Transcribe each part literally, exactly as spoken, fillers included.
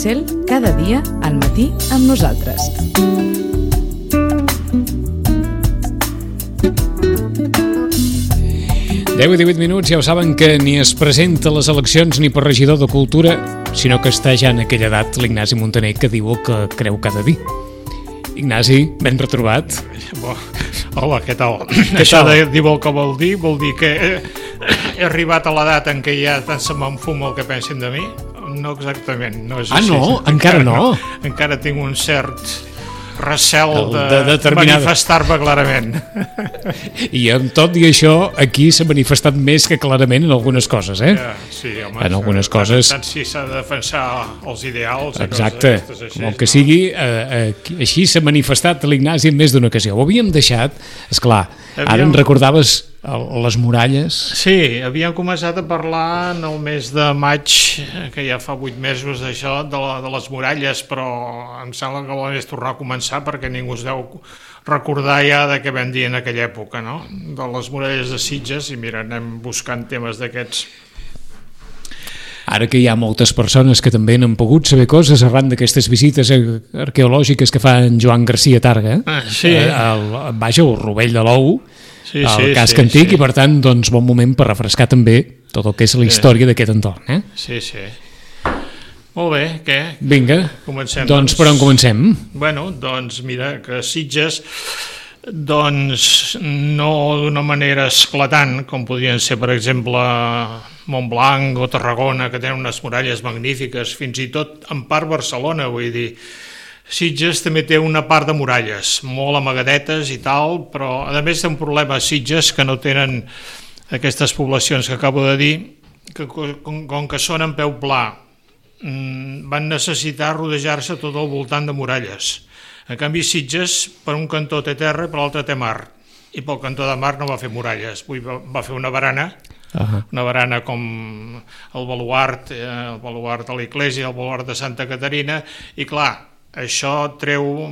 Cel, cada dia al matí amb nosaltres. deu i divuit minuts, ja ho saben que ni es presenta a les eleccions ni per regidor de Cultura, sinó que està ja en aquella edat l'Ignasi Montaner, que diu el que creu cada dia. Ignasi, ben retrobat. Hola, què tal? Què Això tal? De dir el que vol dir, vol dir que he, he arribat a l'edat en què ja tant se m'enfuma el que pensin de mi? No exactament, no és ah, així. Ah, no? Encara, encara no? no? Encara tinc un cert recel de, de determinada... manifestar-me clarament. I amb tot i això, aquí s'ha manifestat més que clarament en algunes coses, eh? Ja, sí, home, en algunes coses... Tant si s'ha de defensar els ideals... Exacte, com el que no? sigui, eh, eh, així s'ha manifestat l'Ignasi en més d'una ocasió. Ho havíem deixat, esclar, Havíem... ara en recordaves les muralles. Sí, havíem començat a parlar en el mes de maig, que ja fa vuit mesos d'això, de, la, de les muralles, però em sembla que vol és tornar a començar perquè ningú es deu recordar ja de què vam dir en aquella època, no? De les muralles de Sitges, i mira, anem buscant temes d'aquests. Ara que hi ha moltes persones que també han pogut saber coses arran d'aquestes visites arqueològiques que fa en Joan Garcia Targa, ah, sí. el, vaja, el Rovell de l'Ou, sí, el sí, casc sí, antic, sí. I per tant, doncs, bon moment per refrescar també tot el que és la història sí. d'aquest entorn. Eh? Sí, sí. Molt bé, què? Vinga, comencem. Doncs per on comencem? Bueno, doncs mira, que Sitges, doncs no d'una manera esclatant, com podrien ser, per exemple, Montblanc o Tarragona, que tenen unes muralles magnífiques, fins i tot en part Barcelona, vull dir, Sitges també té una part de muralles, molt amagadetes i tal, però a més té un problema a Sitges que no tenen aquestes poblacions que acabo de dir, que com, com que són en peu pla, van necessitar rodejar-se tot al voltant de muralles. En canvi, Sitges, per un cantó té terra i per l'altre té mar, i pel cantó de mar no va fer muralles, va fer una barana, uh-huh. una barana com el baluart, el baluart de l'església, el baluart de Santa Caterina, i clar, això treu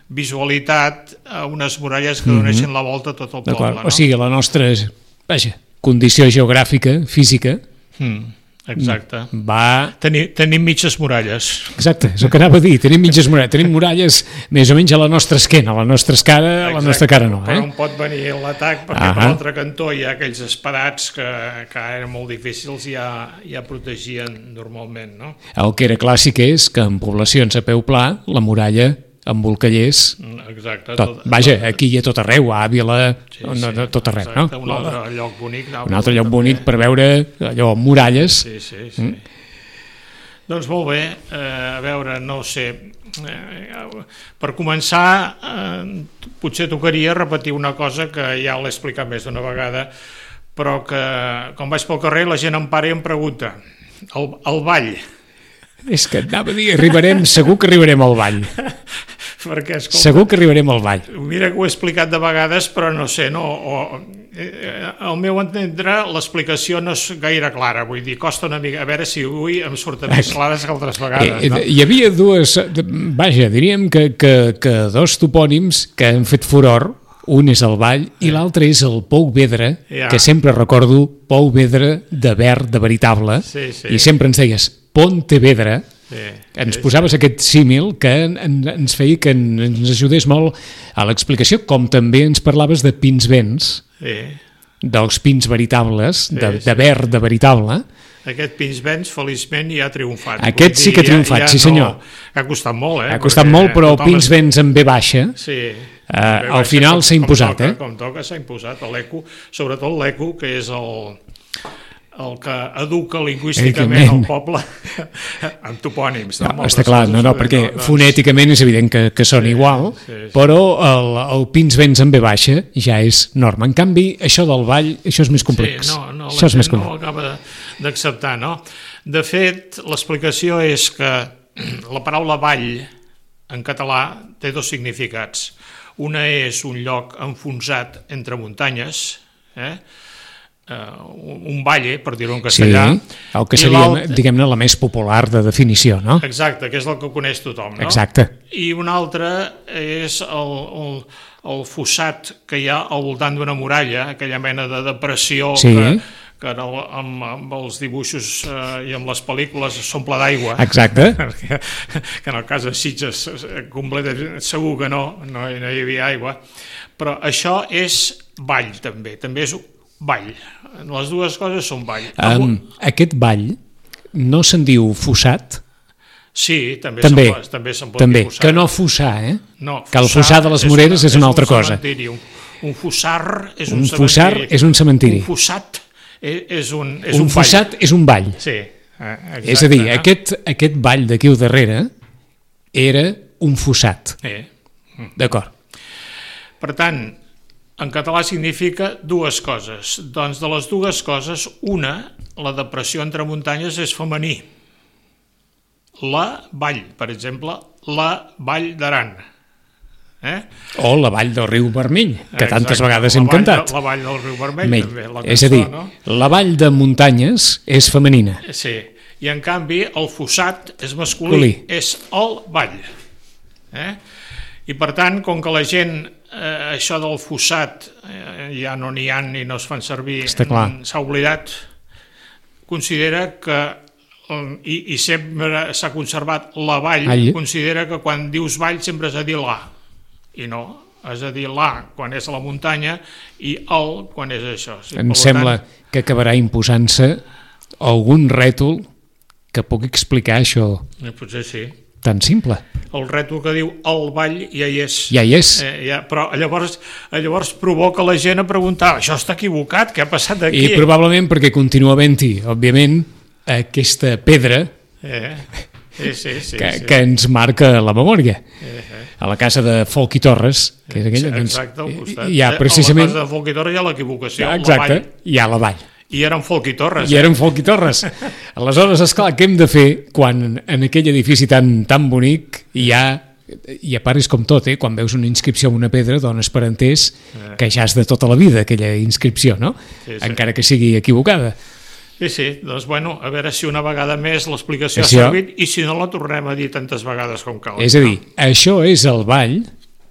visualitat a unes muralles que donessin mm-hmm. la volta a tot el poble. No? O sigui, la nostra vaja, condició geogràfica, física, mm, exacte. Va... Tenim, tenim mitges muralles. Exacte, és el que anava a dir, tenim mitges muralles, tenim muralles més o menys a la nostra esquena, a la nostra escara, a la nostra cara no. Eh? Però on pot venir l'atac, perquè uh-huh. per l'altre cantó hi ha aquells espadats que, que eren molt difícils i ja, ja protegien normalment. No? El que era clàssic és que en poblacions a peu pla, la muralla embolcallés. Exacte. Tot. Vaja, aquí hi ha tot arreu, a Àvila, sí, no, sí, tot arreu. Exacte, No? Un altre lloc bonic. Un altre lloc bonic per veure allò, muralles. Sí, sí, sí. Mm. Doncs molt bé, eh, a veure, no sé, eh, per començar, eh, potser tocaria repetir una cosa que ja l'he explicat més d'una vegada, però que quan vaig pel carrer la gent em para i em pregunta, el, el ball. És que anava a dir, arribarem, segur que arribarem al ball. Perquè, escolta, segur que arribarem al ball. Mira que ho he explicat de vegades, però no sé, no, o, eh, al meu entendre l'explicació no és gaire clara, vull dir, costa una mica, a veure si avui em surten més clares que altres vegades. No? Hi havia dues, vaja, diríem que, que, que dos topònims que han fet furor, un és el Vall i l'altre és el Pou Vedre, ja. Que sempre recordo Pou Vedre de verd, de veritable, sí, sí. I sempre ens deies Pontevedra, sí, ens sí, posaves sí. aquest símil que en, en, ens feia que ens ajudés molt a l'explicació, com també ens parlaves de pins vents, sí. dels pins veritables, sí, de, sí. de verd, de veritable. Aquest pins vents, feliçment, ja ha triomfat. Aquest sí que ha triomfat, ja, ja sí senyor. No, ha costat molt, eh? Ha costat molt, però el pins vents en ve baixa, sí. Uh, al final s'ha imposat, toca, eh? Com toca s'ha imposat, l'eco, sobretot l'eco, que és el, el que educa lingüísticament el poble amb topònims. No? No, està clar, no, no, perquè no, doncs... fonèticament és evident que, que són sí, igual, sí, sí. Però el, el pins vents en ve baixa ja és norma. En canvi, això del ball, això és més complex. Sí, no, no, això és més no ho acaba d'acceptar, no? De fet, l'explicació és que la paraula vall en català té dos significats. Una és un lloc enfonsat entre muntanyes, eh? Uh, un valle, per dir-ho en castellà. Sí, el que seria, diguem-ne, la més popular de definició, no? Exacte, que és el que coneix tothom, no? Exacte. I una altra és el, el, el fossat que hi ha al voltant d'una muralla, aquella mena de depressió sí. que, que en el, amb, amb els dibuixos eh, i amb les pel·lícules s'omple d'aigua. Exacte. que, que en el cas de Sitges completament segur que no, no, no hi havia aigua, però això és ball també, també és ball, les dues coses són ball. Um, aquest ball no se'n diu fossat? Sí, també, també, se'n, també se'n pot també. dir fossat. Que no fossar, eh? No, que el fossar de les Moreres és, una, és una altra un cosa. Un, un fossar és un, un cementiri. Fossar és un cementiri. Un fossat és un, és un, un fossat ball. és un ball. Sí, exacte, és a dir, eh? aquest, aquest ball d'aquí al darrere era un fossat. Eh. D'acord. Per tant, en català significa dues coses. Doncs de les dues coses, una, la depressió entre muntanyes és femení. La vall, per exemple, la vall d'Aran. Eh? O la vall del riu Vermell, que Exacte, tantes vegades la hem vall cantat. De, la vall del riu Vermell, Mell. també. La És a cançó, dir, no? la vall de muntanyes és femenina. Sí, i en canvi el fossat és masculí, Colí. és el vall. Eh? I per tant, com que la gent, eh, això del fossat eh, ja no n'hi ha ni no es fan servir, s'ha oblidat, considera que i, i sempre s'ha conservat la vall, All. considera que quan dius vall sempre has de dir la, i no, has de dir la quan és a la muntanya i el quan és això. Sí, em sembla tant... que acabarà imposant-se algun rètol que pugui explicar això. Potser sí. Tan simple. El rètol que diu el ball ja hi és. Ja hi és. Eh, ja, però llavors, llavors provoca la gent a preguntar, això està equivocat, què ha passat aquí? I probablement perquè continua havent-hi, òbviament, aquesta pedra eh, sí, sí, sí, que, sí. que ens marca la memòria. Eh, eh. A la casa de Folc i Torres, que és aquella... Exacte, al costat. Hi ha precisament... A la casa de Folc i Torres hi ha l'equivocació, exacte, hi ha la vall. I eren Folc i Torres. I eren Folc i Torres. Aleshores, esclar, què hem de fer quan en aquell edifici tan, tan bonic hi ha... I a part és com tot, eh? Quan veus una inscripció en una pedra dones per entès que ja és de tota la vida aquella inscripció, no? Sí, sí. Encara que sigui equivocada. Sí, sí, doncs bueno, a veure si una vegada més l'explicació ha això... servit i si no la tornem a dir tantes vegades com cal. És a dir, no? Això és el ball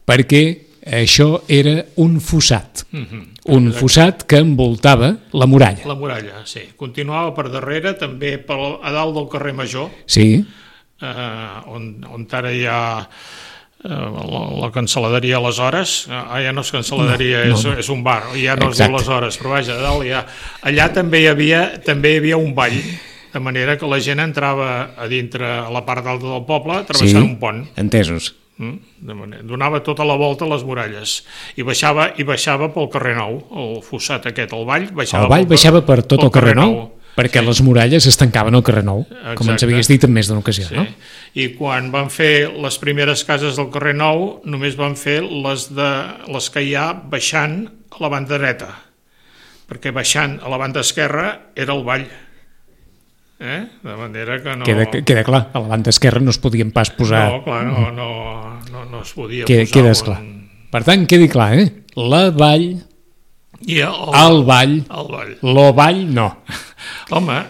perquè això era un fossat. Mm-hmm. Un Exacte. Fossat que envoltava la muralla. La muralla, sí. Continuava per darrere, també per, a dalt del carrer Major, sí. eh, on, on ara hi ha eh, la, la cancel·laderia aleshores, ah, ja no és cancel·laderia, no, no, no. És, és un bar, ja no Exacte. És aleshores, però vaja, a dalt ja... Allà també hi havia, també hi havia un ball, de manera que la gent entrava a dintre, a la part alta del poble, travessant sí. Un pont. Entesos. De manera, donava tota la volta a les muralles i baixava, i baixava pel carrer Nou, el fossat aquest, el vall baixava, el vall pel, baixava per tot el carrer, carrer Nou, nou perquè sí. Les muralles es tancaven al carrer Nou. Exacte. Com ens havies dit en més d'una ocasió, sí. No? I quan van fer les primeres cases del carrer Nou només van fer les, de, les que hi ha baixant a la banda dreta, perquè baixant a la banda esquerra era el vall. Eh? De manera que no... Queda, queda clar, a la banda esquerra no es podien pas posar... No, clar, no, no, no, no es podia queda, posar... Queda clar. Un... Per tant, quedi clar, eh? La vall, I el, el vall, el vall, lo vall no. Home,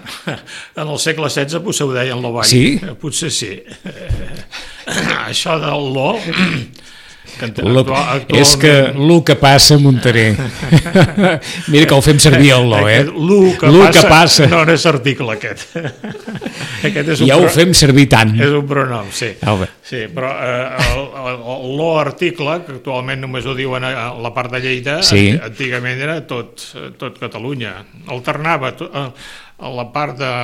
en el segle setze potser ho deien lo vall. Sí? Potser sí. Això del lo... Que lo, actualment... És que el que passa a Montaner. Mira que ho fem servir el lo, eh? El que, que passa. No, no és article aquest. Aquest és un ja pro... ho fem servir tant. És un pronom, sí. Oh, sí, però eh, el, el, el lo article, que actualment només ho diuen a la part de Lleida, sí. Antigament era tot, tot Catalunya. Alternava tot, a la part de...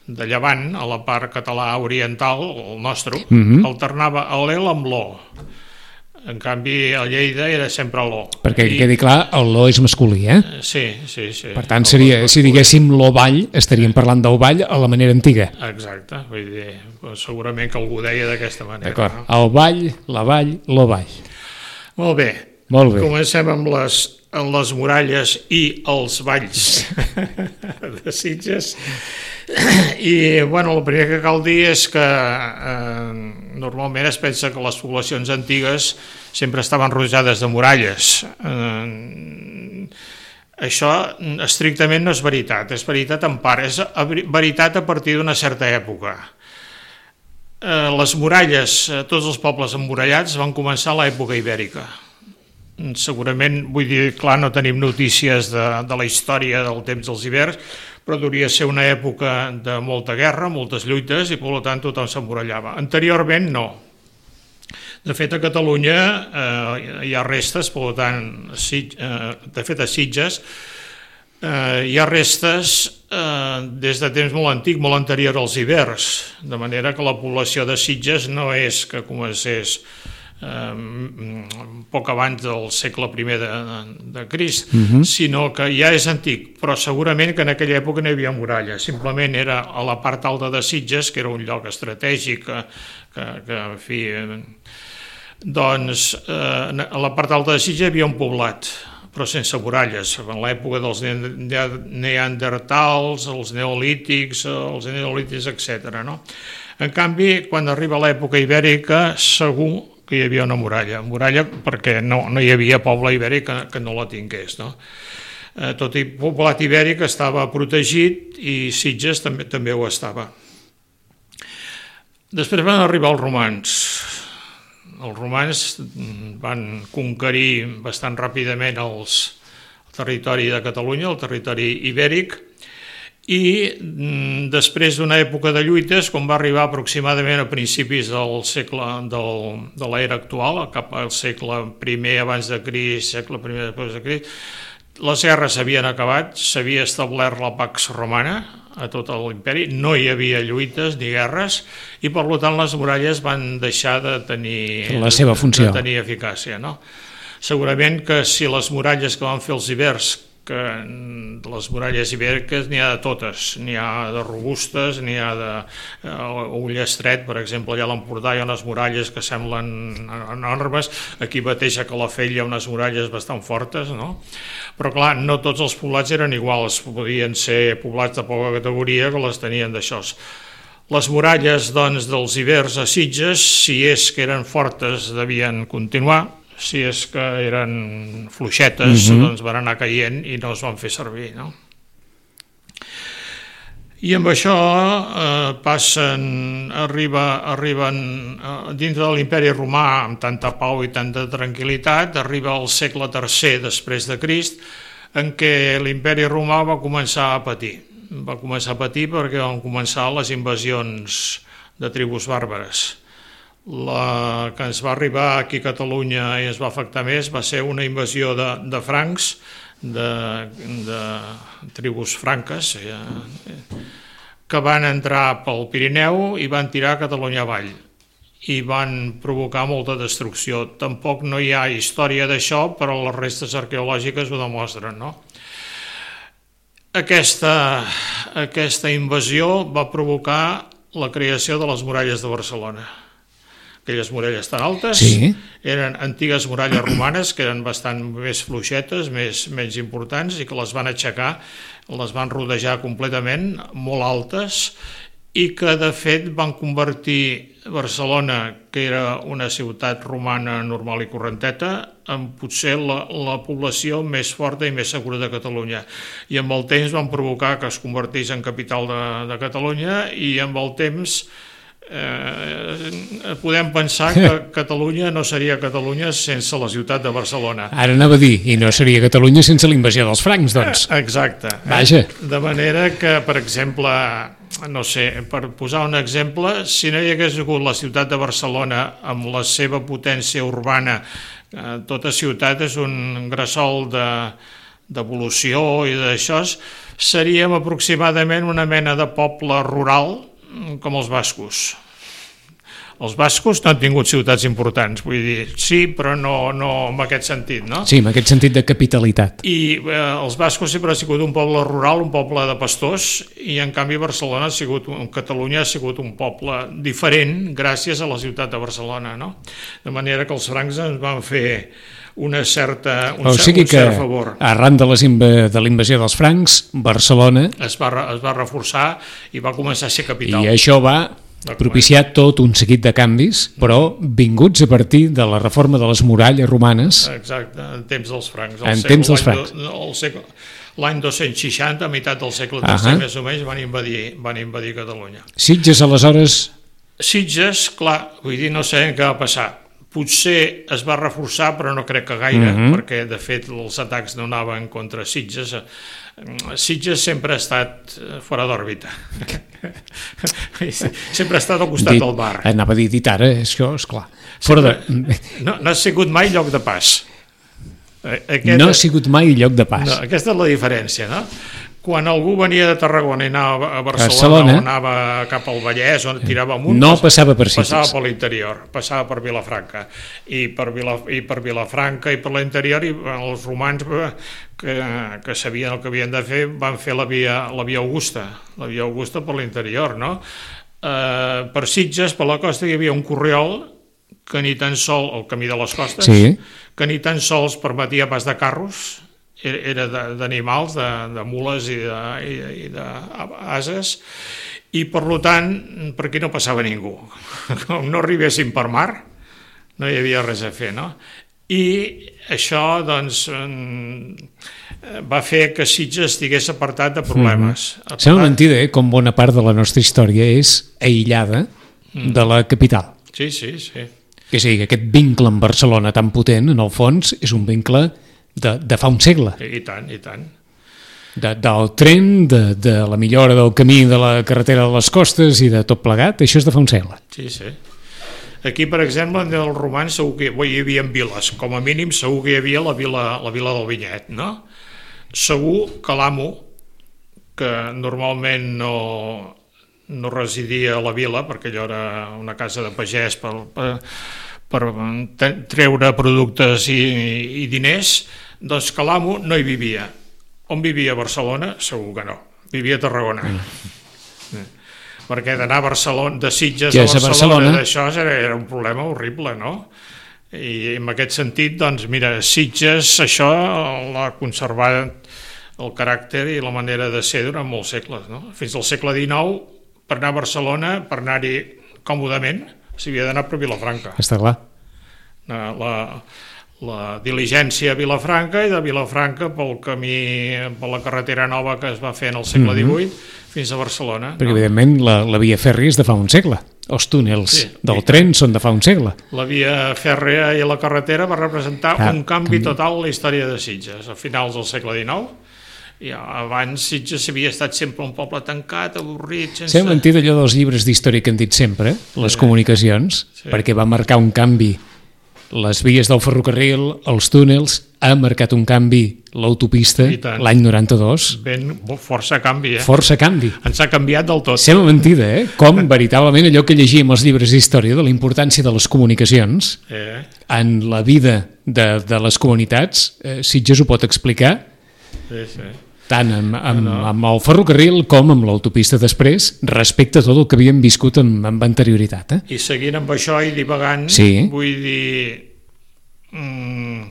de Llevant, a la part català oriental, el nostre, mm-hmm. alternava l'L amb l'O. En canvi, a Lleida era sempre l'O. Perquè I... quedi clar, el l'O és masculí, eh? Sí, sí, sí. Per tant, seria, si diguéssim l'O ball, estaríem parlant del ball a la manera antiga. Exacte, vull dir, segurament que algú deia d'aquesta manera. D'acord, no? El ball, la vall, l'O ball. Molt bé. Molt bé. Comencem amb les, amb les muralles i els valls de Sitges. I, bueno, el primer que cal dir és que eh, normalment es pensa que les poblacions antigues sempre estaven rodejades de muralles. Eh, això estrictament no és veritat, és veritat en part, és veritat a partir d'una certa època. Eh, les muralles, tots els pobles emmurallats van començar a l'època ibèrica. segurament, vull dir, clar, no tenim notícies de, de la història del temps dels hiverns, però hauria ser una època de molta guerra, moltes lluites, i per tant tothom s'emmurallava. Anteriorment no. De fet, a Catalunya eh, hi ha restes, per tant, eh, de fet a Sitges eh, hi ha restes eh, des de temps molt antic, molt anterior als hiverns, de manera que la població de Sitges no és que comencés Eh, poc abans del segle primer de, de Crist, uh-huh. sinó que ja és antic, però segurament que en aquella època no hi havia muralla, simplement era a la part alta de Sitges, que era un lloc estratègic, que, que, que en fi, eh, doncs eh, a la part alta de Sitges hi havia un poblat, però sense muralles, en l'època dels neandertals, els neolítics, els neolítics, etcètera. No? En canvi, quan arriba l'època ibèrica, segur que hi havia una muralla, muralla perquè no, no hi havia poble ibèric que, que no la tingués. No? Eh, tot i poblat ibèric estava protegit i Sitges també, també ho estava. Després van arribar els romans. Els romans van conquerir bastant ràpidament els, el territori de Catalunya, el territori ibèric, i després d'una època de lluites, quan va arribar aproximadament a principis del segle del, de l'era actual, cap al segle primer abans de Crist, segle primer després de Crist, les guerres s'havien acabat, s'havia establert la Pax Romana a tot l'imperi, no hi havia lluites ni guerres, i per tant les muralles van deixar de tenir, la seva funció. De tenir eficàcia. No? Segurament que si les muralles que van fer els ibers, que les muralles ibèriques n'hi ha de totes, n'hi ha de robustes, n'hi ha de uh, Ullestret, per exemple, allà a l'Empordà hi ha unes muralles que semblen enormes, aquí mateix a Calafell hi ha unes muralles bastant fortes, no? Però clar, no tots els poblats eren iguals, podien ser poblats de poca categoria que les tenien d'això. Les muralles, doncs, dels ibers a Sitges, si és que eren fortes, devien continuar, si és que eren fluixetes, uh-huh. doncs van anar caient i no es van fer servir. No? I amb això eh, passen, arriba, arriben eh, dins de l'imperi romà amb tanta pau i tanta tranquil·litat, arriba al segle tercer després de Crist, en què l'imperi romà va començar a patir. Va començar a patir perquè van començar les invasions de tribus bàrbares. La que ens va arribar aquí a Catalunya i ens va afectar més va ser una invasió de, de francs, de, de tribus franques, eh, que van entrar pel Pirineu i van tirar Catalunya avall i van provocar molta destrucció. Tampoc no hi ha història d'això, però les restes arqueològiques ho demostren. No? Aquesta, aquesta invasió va provocar la creació de les muralles de Barcelona. Aquelles muralles tan altes, sí. Eren antigues muralles romanes que eren bastant més fluixetes, més, menys importants, i que les van aixecar, les van rodejar completament, molt altes, i que de fet van convertir Barcelona, que era una ciutat romana normal i correnteta, en potser la, la població més forta i més segura de Catalunya. I amb el temps van provocar que es convertís en capital de, de Catalunya, i amb el temps Eh, podem pensar que Catalunya no seria Catalunya sense la ciutat de Barcelona. Ara anava a dir, i no seria Catalunya sense la invasió dels francs, doncs. Exacte. Vaja. De manera que, per exemple, no sé, per posar un exemple, si no hi hagués hagut la ciutat de Barcelona amb la seva potència urbana, eh, tota ciutat és un gresol de d'evolució i d'això, seríem aproximadament una mena de poble rural com els bascos. Els bascos no han tingut ciutats importants, vull dir, sí, però no, no en aquest sentit, no? Sí, en aquest sentit de capitalitat. I eh, els bascos sempre ha sigut un poble rural, un poble de pastors, i en canvi Barcelona ha sigut, Catalunya ha sigut un poble diferent gràcies a la ciutat de Barcelona, no? De manera que els francs ens van fer una certa, un, o sigui cert, un cert favor. Arran de, les inv de la invasió dels francs, Barcelona es va, es va reforçar i va començar a ser capital. I això va propiciar tot un seguit de canvis, però vinguts a partir de la reforma de les muralles romanes. Exacte, en temps dels francs. En temps dels francs. L'any dos-cents seixanta, a meitat del segle tercer, més o menys, van invadir, van invadir Catalunya. Sitges, aleshores... Sitges, clar, vull dir, no sabem què va passar, potser es va reforçar, però no crec que gaire, mm-hmm. perquè de fet els atacs no anaven contra Sitges. Sitges sempre ha estat fora d'òrbita. Sempre ha estat al costat dit, del mar. Anava a dir dit ara, això, esclar. Fora de... No, no ha sigut mai lloc de pas. Aquest... No ha sigut mai lloc de pas. No, aquesta és la diferència, no? Quan algú venia de Tarragona i anava a Barcelona, Barcelona. o anava cap al Vallès, on tirava amunt, no passava per Sitges. Passava per l'interior, passava per Vilafranca. I per, Vila, i per Vilafranca i per l'interior, i els romans que, que sabien el que havien de fer van fer la via, la via Augusta, la via Augusta per l'interior, no? Eh, per Sitges, per la costa, hi havia un corriol que ni tan sol, el camí de les costes, sí. que ni tan sols permetia pas de carros, era d'animals, de, de mules i d'ases, i per tant per aquí no passava ningú. Com no arribessin per mar, no hi havia res a fer, no? I això doncs va fer que Sitges estigués apartat de problemes. Mm. Sembla mentida, eh? Com bona part de la nostra història és aïllada mm. de la capital. Sí, sí, sí. És a dir, que aquest vincle amb Barcelona tan potent, en el fons, és un vincle De, de fa un segle. I tant, i tant. De, del tren, de, de la millora del camí de la carretera de les costes i de tot plegat, això és de fa un segle. Sí, sí. Aquí, per exemple, en els romans segur que hi havia viles, com a mínim segur que hi havia la vila, la vila del Vinyet, no? Segur que l'amo, que normalment no, no residia a la vila, perquè allò era una casa de pagès per, per, per treure productes i, i diners, doncs que l'amo no hi vivia. On vivia a Barcelona? Segur que no. Vivia a Tarragona. Mm. Perquè d'anar a Barcelona, de Sitges a Barcelona, Barcelona, d'això era, era un problema horrible, no? I en aquest sentit, doncs, mira, Sitges, això l'ha conservat el caràcter i la manera de ser durant molts segles, no? Fins al segle dinou, per anar a Barcelona, per anar-hi còmodament, s'havia d'anar per Vilafranca. Està clar. La, la diligència a Vilafranca i de Vilafranca pel camí, per la carretera nova que es va fer en el segle divuit mm-hmm. fins a Barcelona. Perquè, no? evidentment, la, la via fèrria és de fa un segle. Els túnels sí, del tren són de fa un segle. La via fèrria i la carretera va representar ah, un canvi també. Total a la història de Sitges, a finals del segle dinou. I abans Sitges havia estat sempre un poble tancat, avorrit, sense... S'ha mentit allò dels llibres d'història que han dit sempre, les sí. comunicacions, sí. perquè va marcar un canvi. Les vies del ferrocarril, els túnels, ha marcat un canvi l'autopista l'any noranta-dos. Ben, força canvi, eh? Força canvi. Ens ha canviat del tot. Sembla mentida, eh? Com veritablement allò que llegíem als llibres d'història de la importància de les comunicacions eh. en la vida de, de les comunitats, eh, Sitges ho pot explicar. Sí, sí. Tant amb, amb, no, no. amb el ferrocarril com amb l'autopista després, respecte a tot el que havíem viscut amb, amb anterioritat. Eh? I seguint amb això i divagant, sí. vull dir, mm,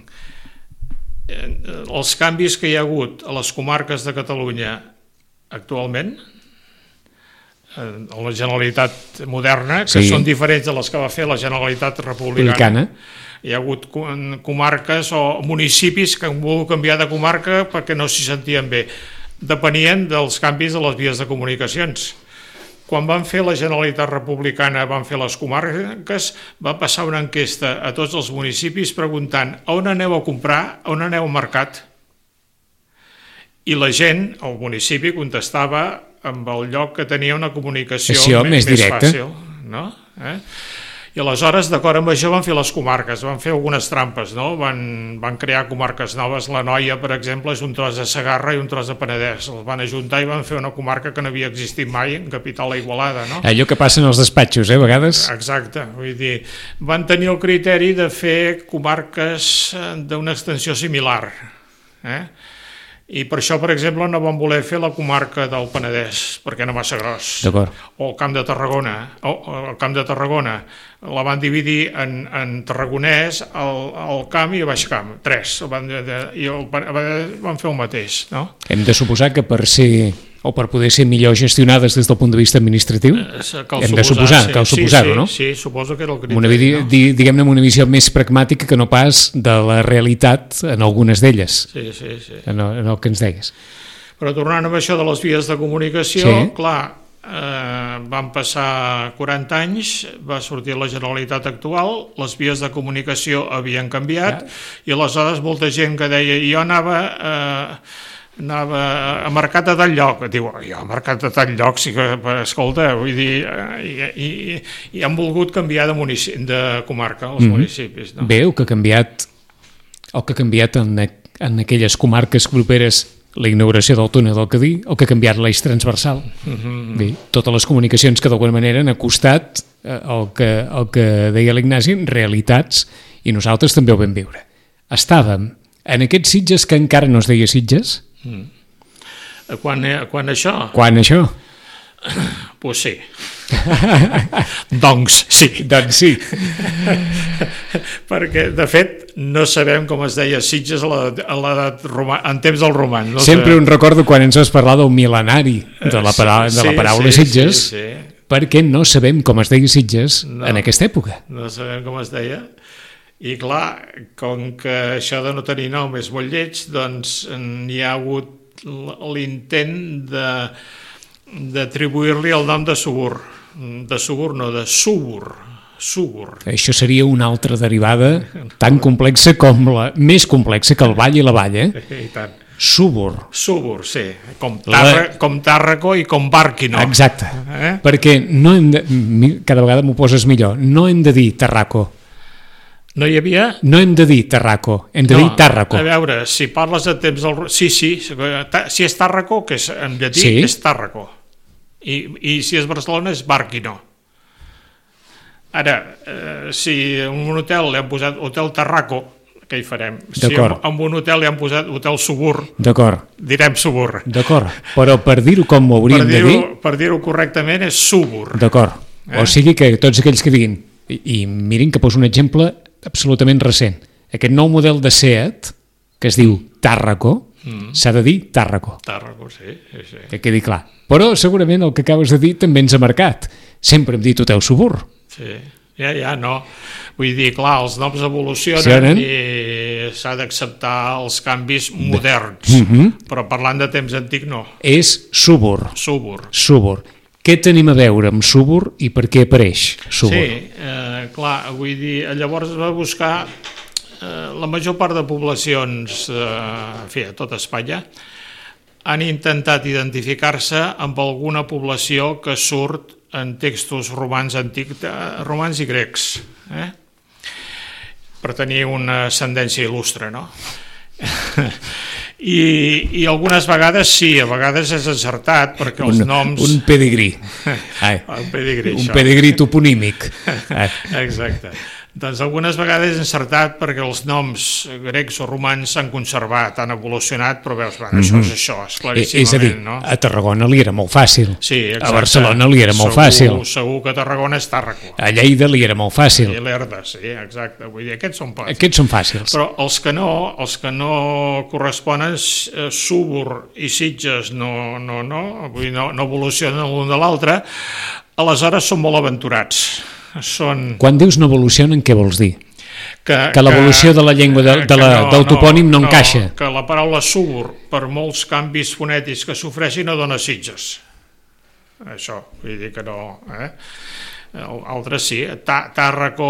els canvis que hi ha hagut a les comarques de Catalunya actualment, a la Generalitat moderna, que sí. són diferents de les que va fer la Generalitat republicana. Republicana. Hi ha hagut comarques o municipis que han volgut canviar de comarca perquè no s'hi sentien bé. Depenien dels canvis de les vies de comunicacions. Quan van fer la Generalitat republicana, van fer les comarques, va passar una enquesta a tots els municipis preguntant on aneu a comprar, on aneu al mercat. I la gent, el municipi, contestava amb el lloc que tenia una comunicació més, més fàcil. No? Eh? I aleshores, d'acord amb això, van fer les comarques, van fer algunes trampes, no? Van, van crear comarques noves. La Noia, per exemple, és un tros de Segarra i un tros de Penedès. Els van ajuntar i van fer una comarca que no havia existit mai, en capital a Igualada, no? Allò que passa en els despatxos, eh, a vegades. Exacte, vull dir, van tenir el criteri de fer comarques d'una extensió similar, eh? I per això, per exemple, no van voler fer la comarca del Penedès, perquè era massa gros. D'acord. O el Camp de Tarragona. O el Camp de Tarragona la van dividir en, en Tarragonès, el, el Camp i el Baix Camp. Tres. Van, I el, van fer el mateix, no? Hem de suposar que per ser o per poder ser millor gestionades des del punt de vista administratiu, cal hem de suposar, sí. cal suposar-ho, sí, sí, no? Sí, suposo que era el criteri. Una, no? Diguem-ne, una visió més pragmàtica que no pas de la realitat en algunes d'elles, sí, sí, sí. En, el, en el que ens deies. Però tornant a això de les vies de comunicació, sí. clar, eh, van passar quaranta anys, va sortir la Generalitat actual, les vies de comunicació havien canviat, ja. I aleshores molta gent que deia, jo anava... Eh, anava a mercat a tal lloc, diu, jo a mercat a tal lloc, sí que, escolta, vull dir, i, i, i han volgut canviar de, munici de comarca, els mm-hmm. municipis. No? Bé, el que ha canviat, el que ha canviat en, en aquelles comarques properes la inauguració del túnel del Cadí, el que ha canviat l'eix transversal. Mm-hmm. Bé, totes les comunicacions que d'alguna manera han acostat el que, el que deia l'Ignasi, realitats, i nosaltres també ho vam viure. Estàvem en aquests Sitges que encara no es deia Sitges. Mm. Quan, quan això? Quan això? Pues sí. Doncs sí. Doncs sí. Perquè, de fet, no sabem com es deia Sitges a l'edat romana, en temps del romans. No Sempre sabem. Un recordo quan ens vas parlar del mil·lenari de la paraula, sí, de la paraula sí, Sitges, sí, sí. Perquè no sabem com es deia Sitges no, en aquesta època. No sabem com es deia. I clar, com que això de no tenir nom és molt lleig, doncs hi ha hagut l'intent de, d'atribuir-li el nom de Subur. De Subur no, de Súbur. Súbur. Això seria una altra derivada tan complexa com la... més complexa que el Vall i la Vall, eh? I tant. Súbur. Súbur, sí. Com, Tarra, la... com Tàrraco i com Bàrquino. Exacte. Eh? Perquè no hem de... cada vegada m'ho poses millor. No hem de dir Tarraco. No hi havia? No hem de dir Tarraco, hem de no, dir Tàrraco. A veure, si parles de temps del... Sí, sí, si és Tàrraco, que és, en llatí sí. És Tàrraco. I, I si és Barcelona és Bàrquino. Ara, eh, si en un hotel li han posat Hotel Tarraco, què hi farem? Si en, en un hotel li han posat Hotel Subur, direm Subur. D'acord, però per dir-ho com ho hauríem per dir de dir... Per dir-ho correctament és Subur. D'acord, eh? O sigui que tots aquells que diguin, i, i mirin que poso un exemple absolutament recent. Aquest nou model de Seat, que es diu Tàrraco, mm. s'ha de dir Tàrraco. Tàrraco, sí, sí, sí. Que quedi clar. Però segurament el que acabes de dir també ens ha marcat. Sempre hem dit Hotel Subur. Sí, ja, ja, no. Vull dir, clar, els noms evolucionen Sionen? I s'ha d'acceptar els canvis moderns. Mm-hmm. Però parlant de temps antic, no. És Subur. Subur. Subur. Què tenim a veure amb Subur i per què apareix Subur? Sí, eh, clar, vull dir, llavors es va buscar eh, la major part de poblacions eh, en fi, a tot Espanya han intentat identificar-se amb alguna població que surt en textos romans antics, romans i grecs, eh? Per tenir una ascendència il·lustre, no? I, i algunes vegades sí, a vegades és encertat perquè els un, noms... Un pedigrí. Ai, un pedigrí, un això. pedigrí toponímic. Ai. Exacte. Doncs algunes vegades és encertat perquè els noms grecs o romans s'han conservat, han evolucionat, però veus, bueno, això mm-hmm. és això, és claríssimament, és a dir, no? A Tarragona li era molt fàcil. Sí, exacte. A Barcelona li era molt segur, fàcil. Segur que a Tarragona és Tàrraco. A Lleida li era molt fàcil. I l'Erda, sí, exacte. Vull dir, aquests són fàcils. Aquests són fàcils. Però els que no, els que no corresponen, eh, Súbur i Sitges no, no, no, vull dir, no, no evolucionen l'un de l'altre, aleshores són molt aventurats. Són... Quan dius no evolucionen, què vols dir? Que, que l'evolució de la llengua de, de la, no, del topònim no, no encaixa. Que la paraula Súbur, per molts canvis fonètics que s'ofreixin, no dona Sitges. Això, vull dir que no... Eh? Altres sí, Tàrraco,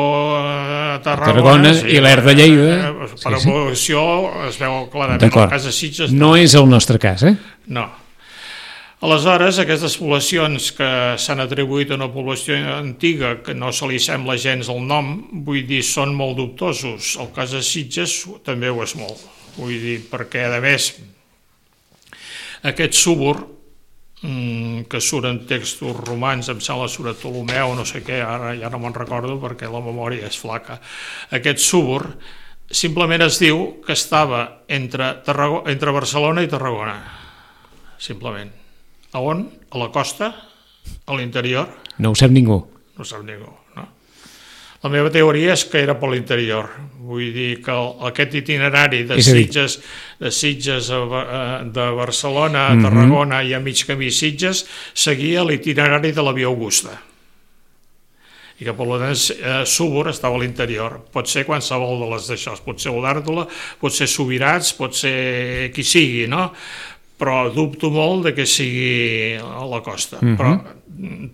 Tarragona, Tarragona sí, i l'Er de Lleida. Per sí, evolució sí. Es veu clarament. El cas de Sitges no. No és el nostre cas, eh? No. Aleshores, aquestes poblacions que s'han atribuït a una població antiga, que no se li sembla gens el nom, vull dir, són molt dubtosos. El cas de Sitges també ho és molt. Vull dir, perquè, a més, aquest Súbur, que surt en textos romans, em sembla surt a Ptolomeu, no sé què, ara ja no me'n recordo perquè la memòria és flaca. Aquest Súbur simplement es diu que estava entre, Tarragona, entre Barcelona i Tarragona, simplement. A on? A la costa? A l'interior? No ho sap ningú. No ho sap ningú, no? La meva teoria és que era per l'interior. Vull dir que aquest itinerari de Sitges, de Sitges a, de Barcelona a Tarragona mm-hmm. i a mig camí Sitges seguia l'itinerari de la Via Augusta. I que, per tant, Súbur estava a l'interior. Pot ser qualsevol de les d'això. Pot ser Olèrdola, pot ser Subirats, pot ser qui sigui, no? però dubto molt de que sigui a la costa. Uh-huh. Però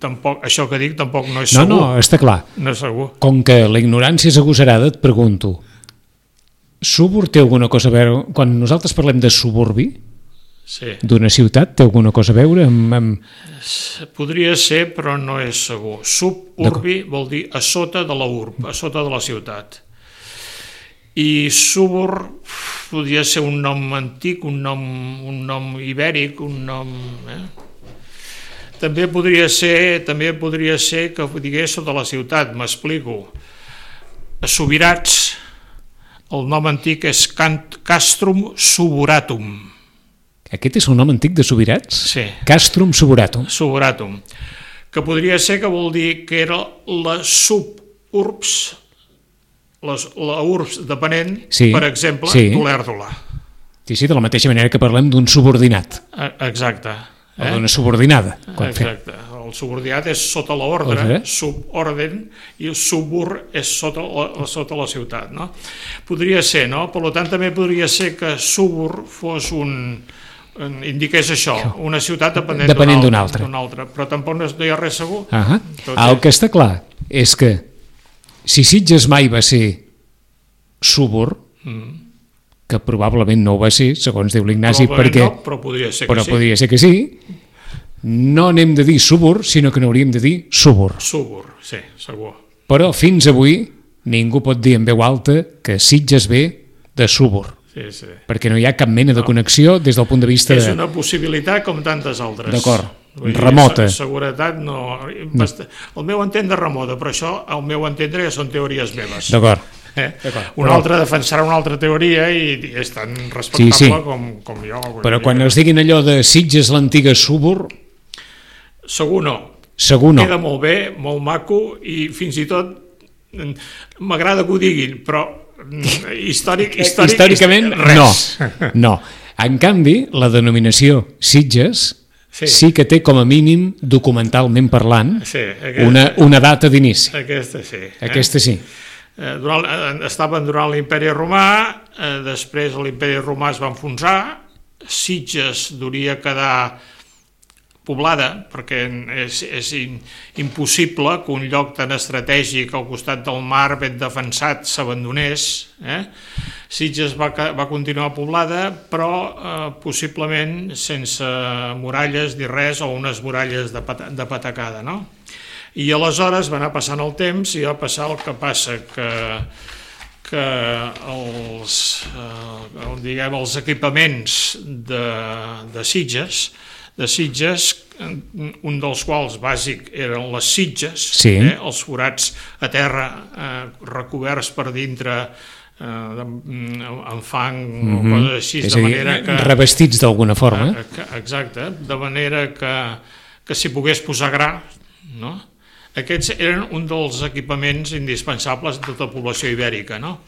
tampoc, això que dic tampoc no és segur. No, no, està clar. No és segur. Com que la ignorància és agosarada, et pregunto, Súbor té alguna cosa a veure... Quan nosaltres parlem de suburbi, sí, d'una ciutat, té alguna cosa a veure amb... amb... Podria ser, però no és segur. Suburbi vol dir a sota de la urb, a sota de la ciutat. I súbor podria ser un nom antic, un nom, un nom ibèric, un nom... Eh? També podria ser també podria ser que digués sota la ciutat, m'explico. A Subirats, el nom antic és Castrum Suburatum. Aquest és el nom antic de Subirats? Sí. Castrum Suburatum. Suburatum. Que podria ser que vol dir que era la suburbs, les, la urbs depenent, sí, per exemple, sí, d'Olèrdola. Sí, sí, de la mateixa manera que parlem d'un subordinat. Exacte. Eh? O d'una subordinada. Exacte. Fem. El subordinat és sota l'ordre, eh? Suborden, i el subur és sota la, sota la ciutat. No? Podria ser, no? Per tant, també podria ser que subur fos un... indiqués això, una ciutat depenent, depenent d'una altra. D'un altre. Però tampoc no hi ha res segur. Uh -huh. El que està clar és que si Sitges mai va ser súbur, mm. que probablement no ho va ser, segons diu l'Ignasi, perquè... No, però podria ser que però sí. podria ser que sí. No n'hem de dir súbur, sinó que n'hauríem de dir súbur. Súbur, sí, segur. Però fins avui ningú pot dir en veu alta que Sitges ve de súbur. Sí, sí. Perquè no hi ha cap mena de connexió des del punt de vista... És una possibilitat com tantes altres. D'acord, remota. Seguretat no... El meu entendre remota, però això, el meu entendre, ja són teories meves. D'acord. Eh? Un altre defensarà una altra teoria i és tan respectable sí, sí. Com, com jo. Però quan es diguin allò de Sitges l'antiga súbur... Segur no. Segur no. Queda molt bé, molt maco i fins i tot m'agrada que ho diguin, però històric, històric, històricament res. no. no. En canvi, la denominació Sitges sí, sí que té com a mínim, documentalment parlant, sí, aquesta, una, una data d'inici. Aquesta sí. Aquesta sí. Eh, durant, estaven durant l'imperi romà, eh, després l'imperi romà es va enfonsar, Sitges duria quedar poblada, perquè és, és impossible que un lloc tan estratègic al costat del mar ben defensat s'abandonés. Eh? Sitges va, va continuar poblada, però eh, possiblement sense muralles ni res, o unes muralles de, pat de patacada, no? I aleshores va anar passant el temps i va passar el que passa, que, que els, eh, diguem, els equipaments de, de Sitges, de Sitges, un dels quals bàsic eren les sitges, sí, eh, els forats a terra eh, recoberts per dintre eh, amb fang mm-hmm, o coses així, de manera que... revestits d'alguna forma. Eh, exacte, de manera que, que s'hi pogués posar gra, no? Aquests eren un dels equipaments indispensables de tota la població ibèrica, no?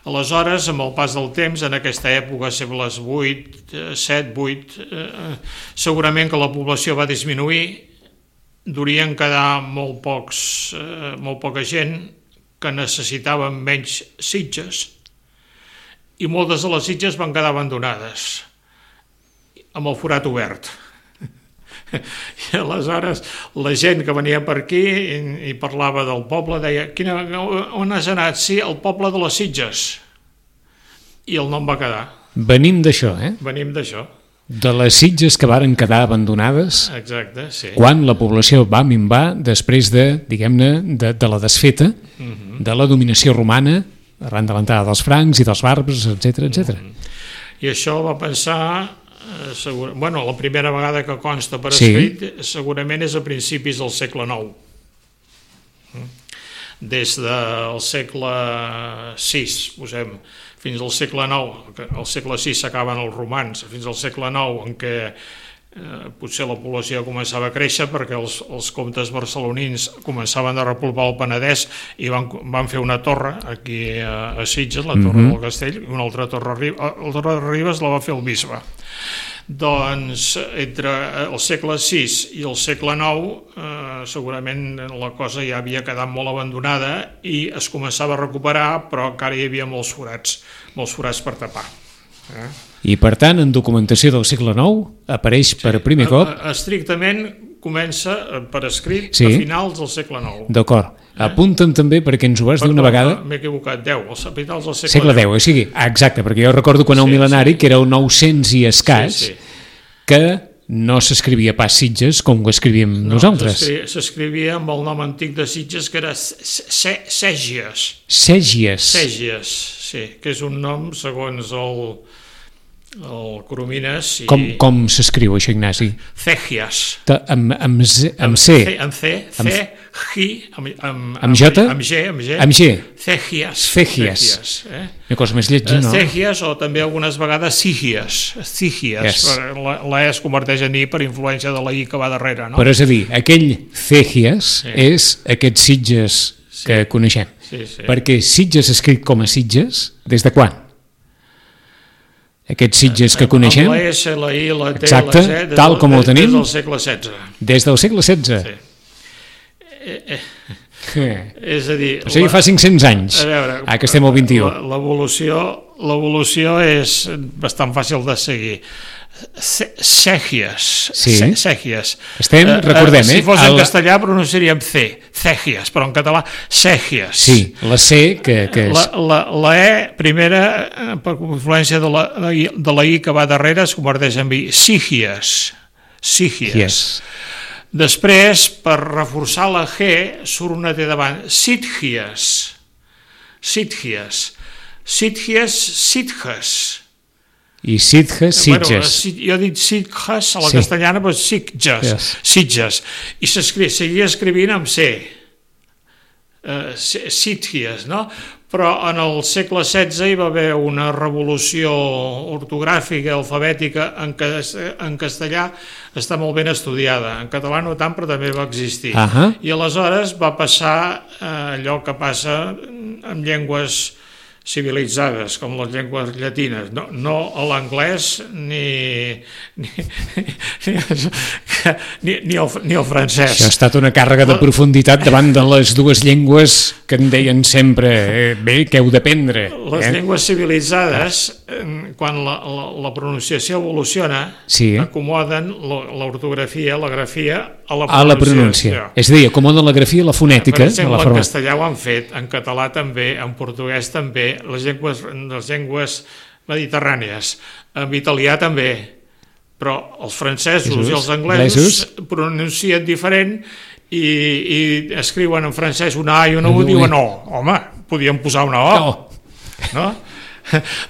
Aleshores, amb el pas del temps, en aquesta època, les vuit, set, vuit, eh, segurament que la població va disminuir, durien quedar molt, pocs, eh, molt poca gent que necessitaven menys sitges i moltes de les sitges van quedar abandonades amb el forat obert. I aleshores la gent que venia per aquí i, i parlava del poble deia, Quina, on has anat? Sí, el poble de les Sitges. I el nom va quedar. Venim d'això, eh? Venim d'això. De les Sitges que varen quedar abandonades. Exacte, sí. Quan la població va minvar després de, diguem-ne, de, de la desfeta, uh-huh, de la dominació romana, arran de l'entrada dels francs i dels bàrbars, etcètera, etcètera. Uh-huh. I això va pensar... Segur, bueno, la primera vegada que consta per escrit, sí, segurament és a principis del segle nou. Des del segle sis, posem, fins al segle nou, al segle sis s'acaben els romans, fins al segle nou en què eh, potser la població començava a créixer perquè els, els comtes barcelonins començaven a repoblar el Penedès i van, van fer una torre aquí a, a Sitges, la torre mm-hmm del Castell, i una altra torre a Ribes, la torre de Ribes la va fer el bisbe. Doncs entre el segle sis i el segle nou eh, segurament la cosa ja havia quedat molt abandonada i es començava a recuperar, però encara hi havia molts forats, molts forats per tapar. Eh? I, per tant, en documentació del segle nou apareix per primer cop... Estrictament comença per escrit sí. a finals del segle nou. D'acord. Eh? Apunta'm també, perquè ens ho vas dir una vegada... M'he equivocat, deu, els finals del segle, segle deu. O sigui, exacte, perquè jo recordo quan el sí, mil·lenari, sí. que era el nou-cents i escàs, sí, sí. que no s'escrivia pas Sitges com ho escrivíem no, nosaltres. S'escrivia amb el nom antic de Sitges, que era Sègies. Sègies. Sègies, sí, que és un nom, segons el... el Coromines i... Com, com s'escriu això, Ignasi? Cegias. Amb, amb, z, amb C. Amb C, C, G, amb, amb, amb J? Amb G, amb G. Amb G. Cegias. Cegias. Eh? Una cosa més lletja, no? Cegias, o també algunes vegades Sigias. Sigias. Yes. La, la E es converteix en I per influència de la I que va darrere, no? Però és a dir, aquell Cegias sí. és aquest Sitges sí. que coneixem. Sí, sí. Perquè Sitges escrit com a Sitges, des de quan? Aquests Sitges que coneixem... Amb la S, la I, la T, exacte, la Z... tal com ho tenim... Des del segle setze. Des del segle setze? Sí. Eh, eh. Eh. És a dir... O sigui, la, fa cinc-cents anys. A veure... Ah, que estem al vint-i-u. L'evolució l'evolució és bastant fàcil de seguir. Cegias. Sí. Cegias. Estem, recordem, eh? Si fos en castellà pronunciaríem C, Cegias, però en català Cegias. Sí, la C que, que és... La, la, la E, primera, per influència de la, de la I que va darrere, es converteix en I. Sigias. Sigias. Yes. Després, per reforçar la G, surt una T davant. Sitgias. Sitgias. Sitgias, Sitges. I Sitges, Sitges. Bueno, jo he dit Sitges, a la sí. castellana, però Sitges, yes. Sitges. I seguia escrivint amb C, uh, Sitges, no? Però en el segle setze hi va haver una revolució ortogràfica, alfabètica, en, que, en castellà està molt ben estudiada, en català no tant, però també va existir. Uh -huh. I aleshores va passar uh, allò que passa amb llengües civilitzades, com les llengües llatines, no, no a l'anglès ni ni, ni, ni, el, ni el francès. Això ha estat una càrrega de profunditat davant de les dues llengües que en deien sempre, eh, bé, que heu d'aprendre. Les eh? llengües civilitzades, quan la, la, la pronunciació evoluciona, sí. acomoden l'ortografia, la grafia, a la a la pronúncia. És a dir, acomoden la grafia i la fonètica. Per exemple, la forma... en castellà ho han fet, en català també, en portuguès també, les llengües, les llengües mediterrànies, en italià també, però els francesos Jesus. i els anglesos Jesus. pronuncien diferent i, i escriuen en francès una A i una U i diuen O. Home, podien posar una O. No. no?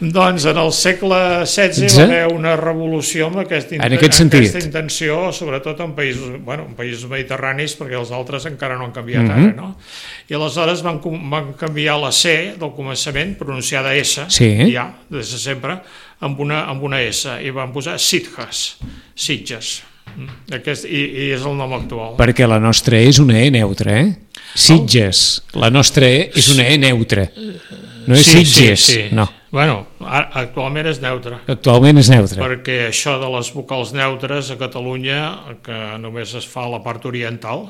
Doncs en el segle setze hi va haver una revolució amb aquesta, en aquest sentit. aquesta intenció, sobretot en països, bueno, en països mediterranis, perquè els altres encara no han canviat mm-hmm. ara, no? I aleshores van, van canviar la C del començament, pronunciada S, sí. ja, des de sempre, amb una, amb una S, i van posar Sitges, Sitges. Aquest, i, i és el nom actual. Perquè la nostra E és una E neutra, eh? Sitges, la nostra E és una E neutra. No és sí, Sitges, sí, sí. no. Bueno, actualment és neutre. Actualment és neutre. Perquè això de les vocals neutres a Catalunya, que només es fa a la part oriental,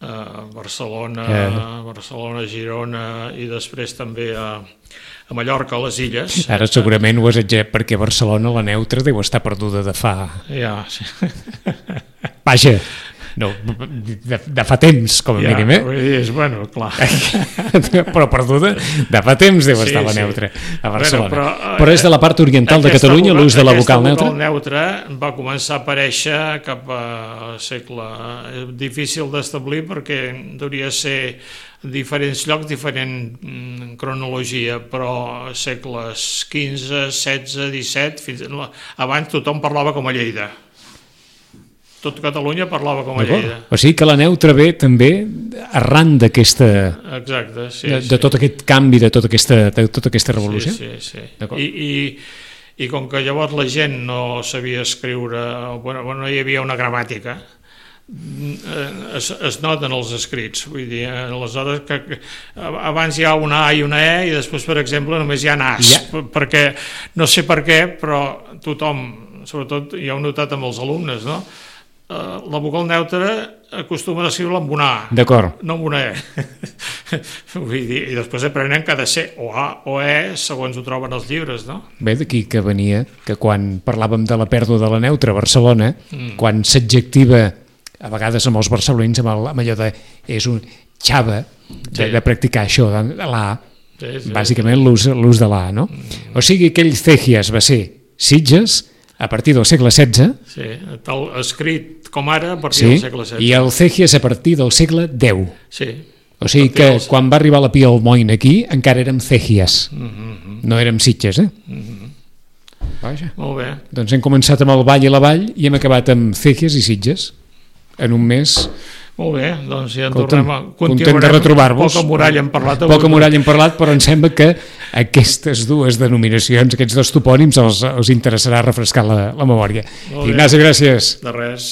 eh, Barcelona, eh. Barcelona, Girona i després també a, a Mallorca, a les Illes. Ara segurament ho has exagerat perquè Barcelona, la neutra, deu estar perduda de fa... Ja, sí. Vaja, no, de, de fa temps, com a ja, mínim, eh? És, bueno, clar. Però perduda, de fa temps deu estar sí, la neutra a Barcelona. Bueno, però, però és de la part oriental de Catalunya l'ús de la vocal neutra? Aquesta vocal neutra va començar a aparèixer cap al segle... És difícil d'establir perquè hauria de ser diferents llocs, diferent mm, cronologia, però segles quinze, setze, disset, fins... abans tothom parlava com a Lleida. Tot Catalunya parlava com a Lleida. O sigui que la neutra ve també arran d'aquesta... Exacte, sí. De, de sí. tot aquest canvi, de tota aquesta, de tota aquesta revolució? Sí, sí, sí. I, i, I com que llavors la gent no sabia escriure, bueno, no hi havia una gramàtica, es, es noten els escrits, vull dir, aleshores que, que abans hi ha una A i una E i després, per exemple, només hi ha As, ja. perquè no sé per què, però tothom, sobretot ja ho he notat amb els alumnes, no? La vocal neutra acostumen a escriure-la amb una A, d'acord, no amb una E. Vull dir, i després aprenen que ha de ser o A o E segons ho troben els llibres, no? Bé, d'aquí que venia que quan parlàvem de la pèrdua de la neutra a Barcelona, mm. quan s'adjectiva a vegades amb els barcelonins amb, el, amb allò de és un xava de, sí. de practicar això de l'A, sí, sí, bàsicament sí. l'ús de l'A, no? Mm. O sigui, aquell Cegias va ser Sitges a partir del segle setze. Sí, tal, escrit com ara a partir sí, del segle setze. I el Cegias a partir del segle deu. Sí. O sigui que dels... quan va arribar la Pia Almoina aquí encara érem Cegias, mm-hmm. no érem Sitges, eh? Mm-hmm. Vaja. Molt bé. Doncs hem començat amb el Vall i la Vall i hem acabat amb Cegias i Sitges en un mes. Molt bé, doncs ja en Content, tornem a... Content de retrobar-vos. Poca muralla hem parlat. Poca muralla hem parlat, però em sembla que aquestes dues denominacions, aquests dos topònims, els, els interessarà refrescar la, la memòria. Ignasi, gràcies. De res.